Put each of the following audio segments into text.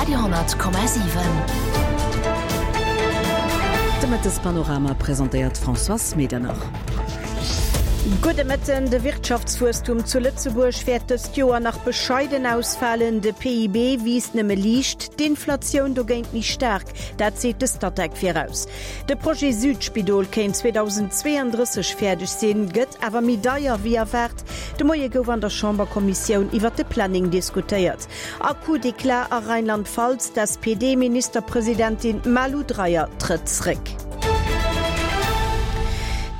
Radio,7. De Mëttespanorama presentéiert d'Françoise Medernach. Gudde Mëtten. De Wirtschaftswuesstum zu Lëtzebuerg wäert dëst Joer nach bescheiden ausfalen. De PIB wiisst nëmme liicht, d'Inflatioun dogéint méi staark. Dat seet de Statec viraus. De Projet Südspidol kéint 2032 fäerdeg sinn, gëtt awer méi deier wéi erwaart. De Moie gouf an der Chamberkommissioun iwwer de Planning diskutéiert. A Coup d'éclat a Rheinland-Pfalz, D'SPD-Ministerpresidentin Malu Dreyer trëtt zréck.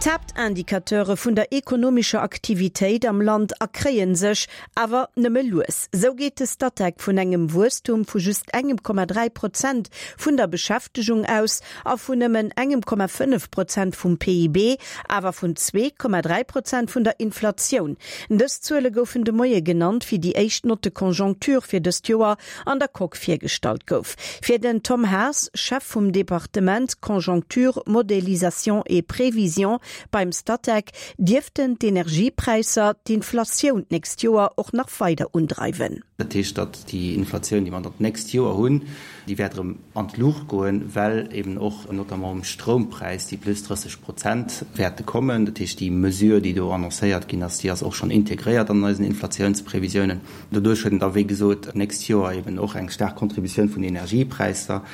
D'Haaptindicateure vun der ekonomescher Aktivitéit am Land erkréie sech, awer nëmme lues. Sou geet de Statec vun engem Wuesstum vu just engem Komma 3 Prozent vun der Beschäftegung aus a vun nëmmen engem Komma 5 Prozent vum PIB, awer vun 2,3 Prozent vun der Inflatioun. Dës Zuele goufen de Moie genannt, wéi déi éischt Note de conjoncture fir dëst Joer an der Coque virgestallt gouf. Fir den Tom Haas, Chef vum Departement Conjoncture, Modélisation et Prévision beim Statec, dierften d'Energiepräisser d'Inflatioun d'nächst Joer och nach weider undreiwen. Dat heescht, datt déi Inflatioun, déi mer dann d'nächst Joer hunn, déi wäert erëm an d'Luucht goen, well eben och notamment um Stroumpräis déi plus 30 Prozent wäerte kommen. Dat heescht, déi Mesure, déi do annoncéiert ginn ass, déi ass och schonn integréiert an eisen Inflatiounsprevisiounen. Doduerch huet en da, wéi gesot, d'nächst Joer eben och eng staark Contributioun vun den Energiepräisser.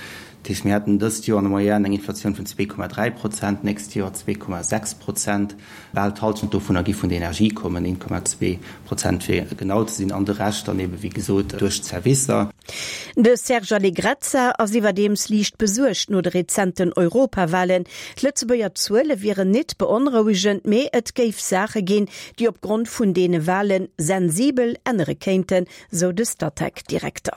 Dat heescht, mir hätten dëst Joer an der Moyenne eng Inflatioun vun 2,3 Prozent, d'nächst Joer 2,6 Prozent. Bal d'Hallschent dovunner gi vun der Energie kommen, 1,2 Prozent fir genau ze sinn, an de Rescht dann ebe wéi gesot duerch d'Servicer. De Serge Allegrezza ass iwwerdeems liicht besuergt no de rezenten Europawalen. D'Lëtzebuerger Zuele wieren nit beonrouegend, mee et géif Saache ginn, déi opgrond vun deene Wale sensibel ännere kéinten, sou de Statec-Direkter.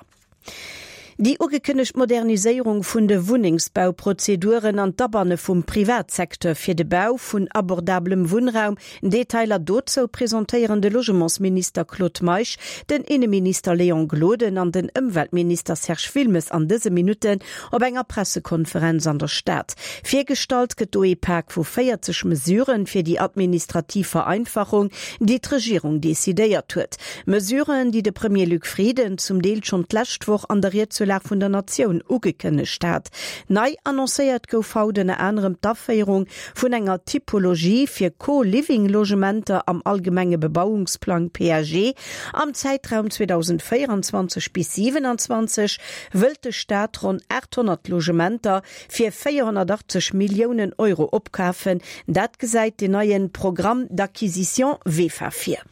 Déi ugekënnegt Moderniséierung vun de Wunnengsbauprozeduren an d'Abanne vum Privatsecteur fir de Bau vun abordabelem Wunnraum, Detailer dozou presentéieren de Logementsminister Claude Meisch, den Inneminister Léon Gloden an den Ëmweltminister Serge Wilmes an dëse Minutten op enger Pressekonferenz an der Stad. Virgestallt gëtt do ee Pak vu 40 Mesuren fir déi administrativ Vereinfachung, déi d'Regierung decidéiert huet. Mesuren, déi de Premier Luc Frieden zum Deel schonn d'lescht Woch an der Ried zur Lag vun der Natioun ugekënnegt hat. Nei annoncéiert gouf haut ënner anerem d'Aféierung vun enger Typologie fir Co-Living-Logementer am allgemenge Bebauungsplang, PAG. Am Zäitraum 2024 bis 27 wëllt de Staat ronn 800 Logementer fir 480 Milliounen Euro opkafen. Dat gesäit den neie Programme d'acquisition VEFA vir.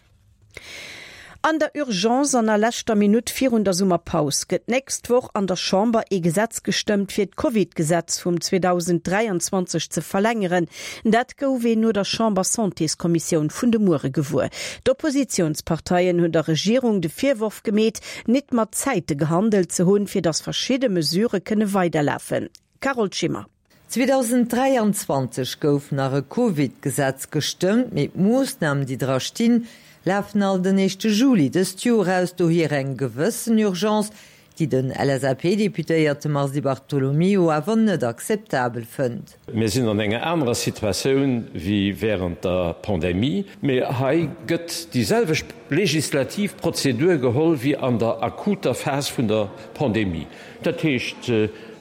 An der Urgence an a leschter Minutt virun der Summerpaus gëtt d'nächst Woch an der Chamber ee Gesetz gestëmmt, fir d'Covid-Gesetz vum 2023 ze verlängeren. Dat gouf een no der Chamber-Santéskommissioun vun de Muere gewuer. D'Oppositiounsparteien hunn der Regierung de Virworf gemeet, nit mat Zäite gehandelt ze hunn, fir datt verschidde Mesurë kënne weiderlafen. Carole Schimmer. 2023 gouf nach e Covid-Gesetz gestëmmt, mee d'Moossnamen, déi dra stinn, lafen all den éischte Juli dëst Joer aus. Dohier eng gewëssen Urgence, déi den LSAP-Deputéierte Mars Di Bartolomeo awer net akzeptabel fënnt. Mir sinn an enger anerer Situatioun wéi wärend der Pandemie, mee hei gëtt déi selwecht legislativ Prozedur geholl wéi an der akuter Phas vun der Pandemie. Dat heescht,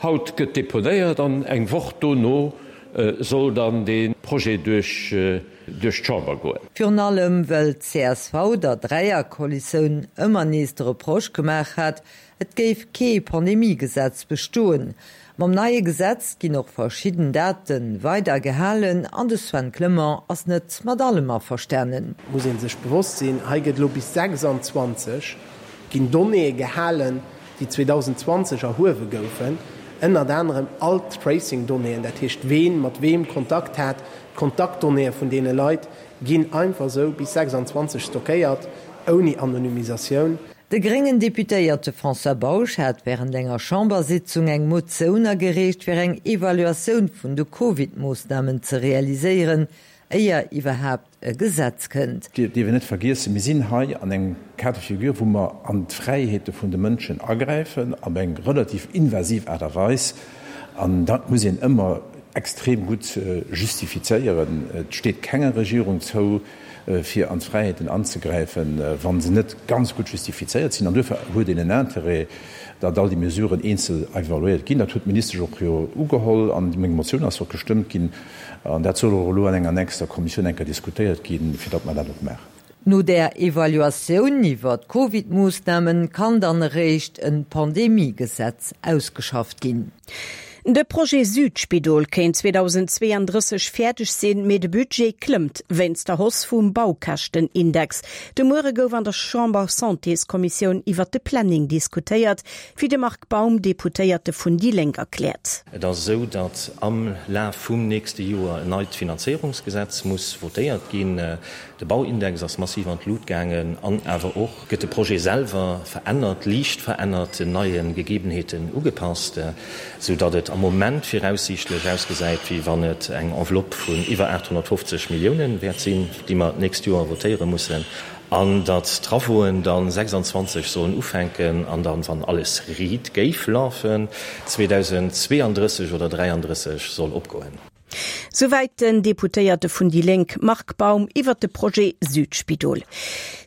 haut gëtt deponéiert an eng Woch dono soll dann dee Projet duerch d'Chamber goen. Virun allem, wëll d'CSV der Dräierkoalitioun ëmmer nees de Reproche gemaach hat, et géif kee Pandemiegesetz bestoen. Mam neie Gesetz ginn och verschidden Date weider gehalen an de Sven Clement ass net mat allem averstanen. Muss ee sech bewosst sinn, hei gëtt elo bis 26 ginn Donnéeë gehalen, déi 2020 erhuewe goufen, ënnert anerem all d'Tracing-Donnéeën, dat heescht ween mat weem Kontakt hat, d'Kontaktdonnéeë vun deene Leit ginn einfach esou bis 26 stockéiert, ouni Anonymisatioun. De gréngen Deputéierte François Bausch hat wärend enger Chambersitzung eng Motioun agereecht, fir eng Evaluatioun vun de Covid-Moossnamen ze realiséieren, éier iwwerhaapt e Gesetz kënnt. Dir dierf een net vergiessen, mir sinn hei an engem Cas de figure, wou mer an d'Fräiheete vun de Mënschen agräifen, op eng relativ invasiv Aart a Weis. An dat muss een ëmmer extrem gutt justifizéieren. Et steet kenger Regierung zou. fir an d'Fräiheeten anzegräifen, wa se net ganz gutt justifizéiert sinn. An duerfir huet een en Intérêt, datt all déi Mesuren eenzel evaluéiert ginn. Dat huet d'Ministesch och jo ugeholl an meng Motioun ass och gestëmmt ginn. An dat soll och elo an enger nächster Kommissioun eng Kéier diskutéiert ginn, fir datt mer dat och maachen. No där Evaluatioun iwwer d'Covid-Moossnamen kann dann eréischt en Pandemie-Gesetz ausgeschafft ginn. De Projet Südspidol kéint 2032 fäerdeg sinn, mee de Budget klëmmt wéinst der Hausse vum Baukäschtenindex. De Muere gouf an der Chamber-Santéskommissioun iwwert de Planning diskutéiert, wéi de Marc Baum, Deputéierte vun déi Lénk, erkläert. Et ass esou, datt am Laf vum nächste Joer en neit Finanzéierungsgesetz muss votéiert ginn. De Bauindex ass massiv an d'Lut gaangen an awer och gëtt de Projet selwer verännert, liicht verännert, den neie Gegebenheeten ugepasst, sou datt et am Moment viraussiichtlech ausgesäit, wéi wann et eng Enveloppe vun iwwer 850 Milliounen wäert sinn, déi mer d'nächst Joer votéiere mussen, an datt d'Travauxen dann 26 sollen ufänken an dann, wann alles riit géif lafen, 2032 oder 33 soll opgoen. Souwäit den Deputéierte vun déi Lénk Marc Baum iwwert de Projet Südspidol.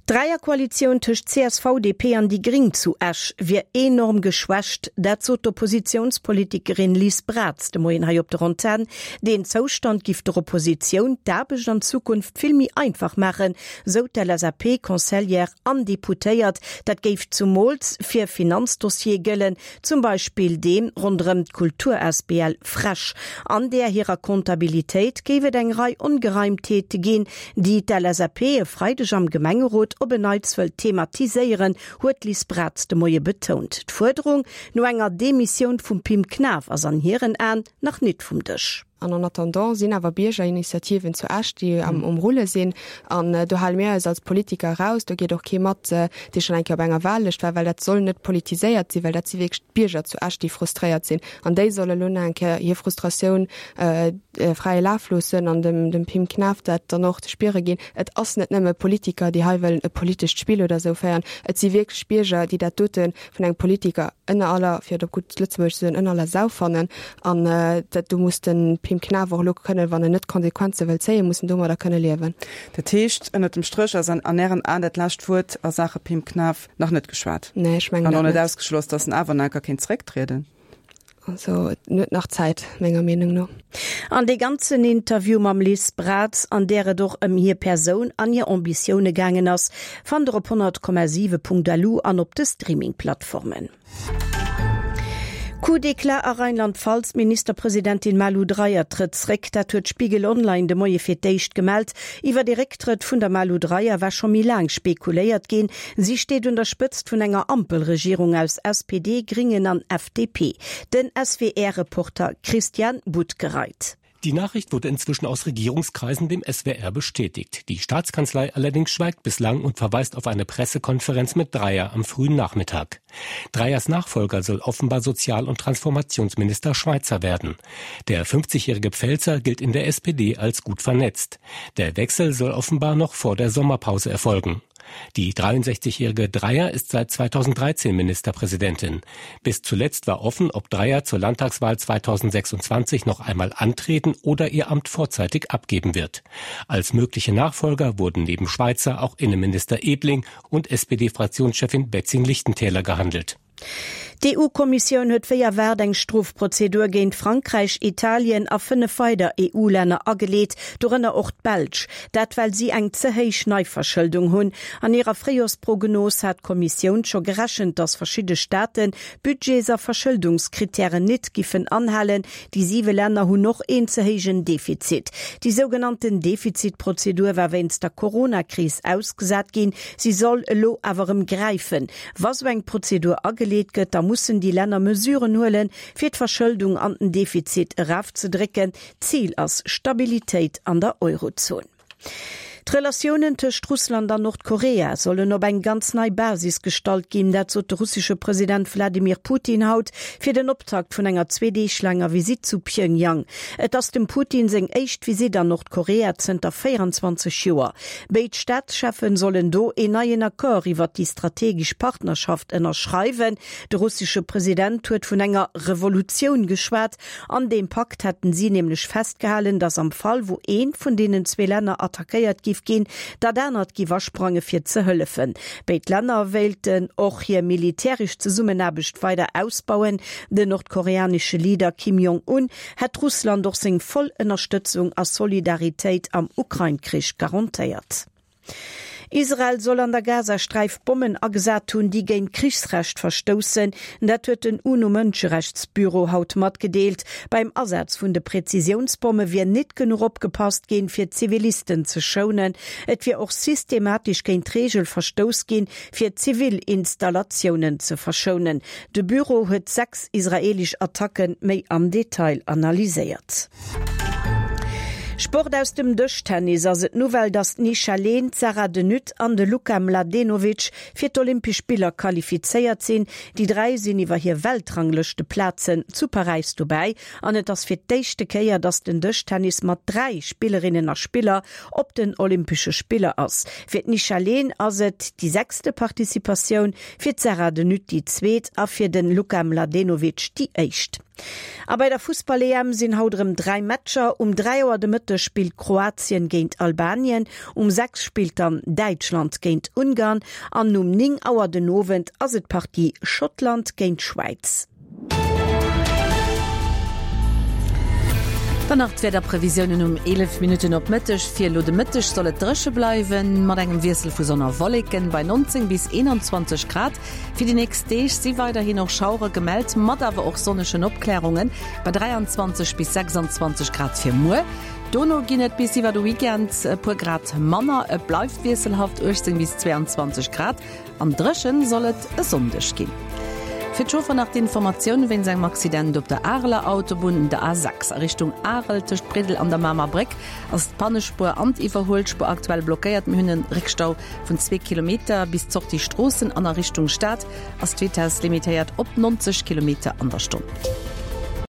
D'Dräierkoalitioun tëscht csv, DP an déi Gring zu Esch wier enorm geschwächt. Dat sot d'Oppositiounspolitikerin Liz Braz de Moien hei op der Antenn. Deen Zoustand giff der Oppositioun d'Aarbecht an Zukunft vill méi einfach maachen, sou d'LSAP-Conseillère an Deputéiert. Dat géif zumools fir Finanzdossiere gëllen, Zum Beispill dee ronderëm d'Kultur-asbl Fresch. An där hirer Comptabilitéit géif et eng Rei Ongereimtheete ginn, déi d'LSAP e Freideg am Gemengerot op en Neits wëllt thematiséieren, huet d'Liz Braz de Moie betount. D'Fuerderung no enger Demissioun vum Pim Knaff ass an hiren Aen nach nit vum Dësch. An en attendant sinn awer Biergerinitiativen zu Esch, déi am um Rulle sinn. An do hale mir eis als Politiker eraus. Do geet och kee mat, dee schonn eng Kéier op enger Wahllëscht war, well dat soll net politiséiert sinn, well dat si wierklech d'Bierger zu Esch, déi frustréiert sinn. An déi solle lo nach eng Kéier hir Frustratioun fräie Laf loossen an dem dem Pim Knaff dat dann och ze spiere ginn. Et ass net nëmme Politiker, déi hei wëllen e politescht Spill oder esou féieren. Et si wierklech Bierger, déi dat dote vun engem Politiker ënner aller, fir et op gutt Lëtzebuergesch ze soen, ënner aller Sau fannen. An dat do muss de Pim Knaff och elo kënnen, wann en net d'Konsequenze wëll zéien, muss en domadder kënne liewen. Dat heescht, ënner dem Stréch ass an Ären Aen dat lescht Wuert a Saache Pim Knaff nach net geschwat? Nee, ech mengen dat net. An och net ausgeschloss, datt en awer nach enker kéint zerécktrieden? Also en huet nach Zäit, menger Meenung no. An dee ganzen Interview mam Liz Braz, an där et och ëm hir Persoun an hir Ambitioune gaangen ass, fannt der op 100,7.lu an op de Streaming-Plattformen. Coup d'éclat a Rheinland-Pfalz, D'Ministerpresidentin Malu Dreyer trëtt zréck. Dat huet Spiegel Online de Moie fir d'éischt gemellt. Iwwer ee Récktrëtt vun der Malu Dreyer war scho méi laang spekuléiert ginn. Si steet un der Spëtzt vun enger Ampelregierung aus SPD, Gringen an FDP. Den SWR-Reporter Christian Buttgereit. Die Nachricht wurde inzwischen aus Regierungskreisen dem SWR bestätigt. Die Staatskanzlei allerdings schweigt bislang und verweist auf eine Pressekonferenz mit Dreier am frühen Nachmittag. Dreiers Nachfolger soll offenbar Sozial- und Transformationsminister Schweizer werden. Der 50-jährige Pfälzer gilt in der SPD als gut vernetzt. Der Wechsel soll offenbar noch vor der Sommerpause erfolgen. Die 63-jährige Dreier ist seit 2013 Ministerpräsidentin. Bis zuletzt war offen, ob Dreier zur Landtagswahl 2026 noch einmal antreten oder ihr Amt vorzeitig abgeben wird. Als mögliche Nachfolger wurden neben Schweizer auch Innenminister Ebling und SPD-Fraktionschefin Betzing-Lichtentäler gehandelt. D'EU-Kommissioun huet wéi erwaart eng Strofprozedur géint Frankräich, Italien a 5 weider EU-Länner ageleet, dorënner och d'Belsch. Dat well si eng ze héich Neiverschëldung hunn. An hirer Fréijorsprognos hat d'Kommissioun scho gerechent, datt verschidde Staaten Budgets a Verschëldungskrittären nit giffen anhalen. Déi siwe Länner hunn och een ze héijen Defizit. Déi sougenannten Defizitprozedur war wéinst der Corona-Kris ausgesat ginn. Si soll elo awer erëm gräifen. Wa sou eng Prozedur ageleet gëtt, da mussen déi Länner Mesuren huelen, fir d'Verschëldung an den Defizit erafzedrécken. Zil ass Stabilitéit an der Eurozon. D'Relatiounen tëscht Russland an Nordkorea sollen op eng ganz nei Basis gestallt ginn. Dat sot de russesche President Wladimir Putin haut fir den Optakt vun enger zwee Deeg laanger Visitt zu Pjöngjang. Et ass dem Putin seng éischt Visitt an Nordkorea zënter 24 Joer. Béid Staatscheffen sollen do een neien Accord iwwert déi strategesch Partnerschaft ënnerschreiwen. De russesche President huet vun enger Revolutioun geschwat. An deem Pakt hätten si nämlech festgehalen, datt am Fall wou eent vun deenen zwee Länner attackéiert gi. giff ginn, dat anert giff asprange fir ze hëllefen. Béid Länner wéilten och hir militäresch Zesummenaarbecht weider ausbauen. Den nordkoreanesche Leader Kim Jong-un hätt Russland och seng voll Ënnerstëtzung a Solidaritéit am Ukrain-Krich garantéiert. Israel soll an der Gazasträif Bommen agesat hunn, déi géint d'Krichsrecht verstoussen. Dat huet den UNO-Mënscherechtsbüro haut matgedeelt. Beim Asaz vun de Präzisiounsbomme wier nit genuch opgepasst ginn, fir d'Zivilisten ze schounen. Et wier och systematesch géint d'Reegel verstouss ginn, fir zivil Installatiounen ze verschounen. De Büro huet 6 israeelesch Attacke méi am Detail analyséiert. Sport Aus dem Dëschtennis ass et d'Nouvelle, datt d'Nisha Lehn, d'Sarah de Nutte an de Luka Mladenovic fir d'Olympesch Spiller qualifizéiert sinn. Déi 3 sinn iwwer hir Weltranglëschteplazen zu Paräis dobäi an et ass fir d'éischte Kéier, datt den Dëschtennis mat 3 Spillerinnen a Spiller op den Olympesche Spiller ass. Fir d'Nisha Lehn ass et déi sechste Participatioun, fir d'Sarah de Nutte déi zweet a fir de Luka Mladenovic déi éischt. A bei der Fussball-EM sinn haut erëm 3 Matcher. Um 3 Auer de Mëtteg spillt Kroatien géint Albanien, um 6 spillt dann Däitschland géint Ungarn an um 9 Auer den Owend ass et d'Partie Schottland géint Schwäiz. Dann nach d'Wiederprevisiounen um 11 Minutten op Mëtteg. Fir elo de Mëtteg soll et dréche bleiwen, mat engem Wiessel vu Sonn a Wolleken bei 19 bis 21 Grad. Fir déi nächst Deeg si weiderhin och Schauere gemellt, mat awer och sonnegen Opklärungen, bei 23 bis 26 Grad fir muer. Dono ginn et bis iwwer de Weekend e puer Grad manner, et bleift wiesselhaft, 18 bis 22 Grad, an dréchen soll et e Sonndeg ginn. Fir d'Chauffer nach d'Informatioun wéinst engem Accident op der Areler Autobunn, der A6 a Richtung Arel tëscht Briddel an der Mamer Bréck ass d'Pannespuer an d'Iwwerhuelspuer aktuell blockéiert. Mir hunn e Réckstau Vun zwee Kilometer bis d'Sortie Stroossen an a Richtung Stad ass d'Vitess limitéiert op 90 Kilometer an der Stonn.